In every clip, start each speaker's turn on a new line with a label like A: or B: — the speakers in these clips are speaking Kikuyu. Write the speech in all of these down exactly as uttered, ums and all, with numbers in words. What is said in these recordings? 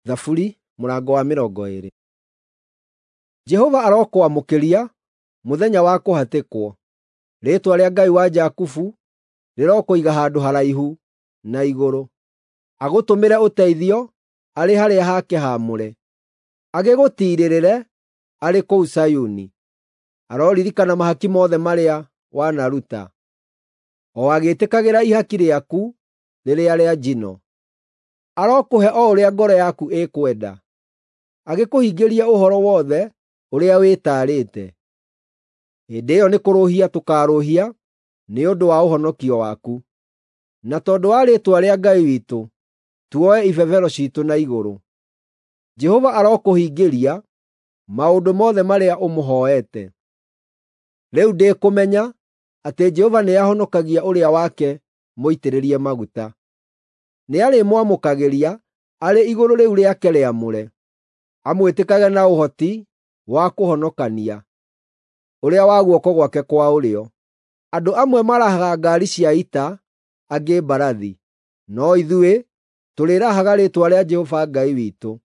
A: Thaburi mũrango wa mĩrongo ĩĩrĩ. Jehova arokwamũkĩria mũthenya wa kũhatĩkwo; rĩĩtwa rĩa Ngai wa Jakubu rĩrokũiga handũ haraihu na igũrũ. Agũtũmĩre ũteithio arĩ harĩa hake haamũre, agĩgũtiirĩrĩre arĩ kũu Zayuni. Aroririkana mahaki mothe marĩa wanaruta, o agĩĩtĩkagĩra ihaki rĩaku rĩrĩa rĩa njino. Arokũhe o ũrĩa ngoro yaku ĩkwenda, agĩkũhingĩrie ũhoro wothe ũrĩa wĩtaarĩte. Hĩndĩ ĩyo nĩkũrũhia tũkaarũhia nĩ ũndũ wa ũhonokio waku, na tondũ wa rĩĩtwa rĩa Ngai witũ tuoe ibebero ciitũ na igũrũ. Jehova arokũhingĩria maũndũ mothe marĩa ũmũhooete. Rĩu ndĩkũmenya atĩ Jehova nĩahonokagia ũrĩa wake mũitĩrĩrie maguta. Nĩarĩmwamũkagĩria arĩ igũrũ rĩu rĩake rĩamũre, amwĩtĩkage na ũhoti wa kũhonokania, ũrĩa wa guoko gwake kwa ũrĩo. Andũ amwe marahaga ngaari cia ita, angĩ mbarathi, no ithuĩ tũrĩrahaga rĩĩtwa rĩa Jehova Ngai witũ.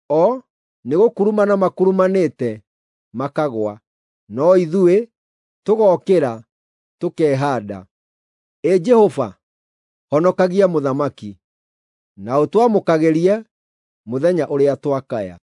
A: O nĩgũkurumana makurumanĩte makagũa, no ithuĩ tũgokĩra tũkehaanda. Ĩ Jehova, honokagia mũthamaki, na ũtwamũkagĩrie mũthenya ũrĩa twakaya.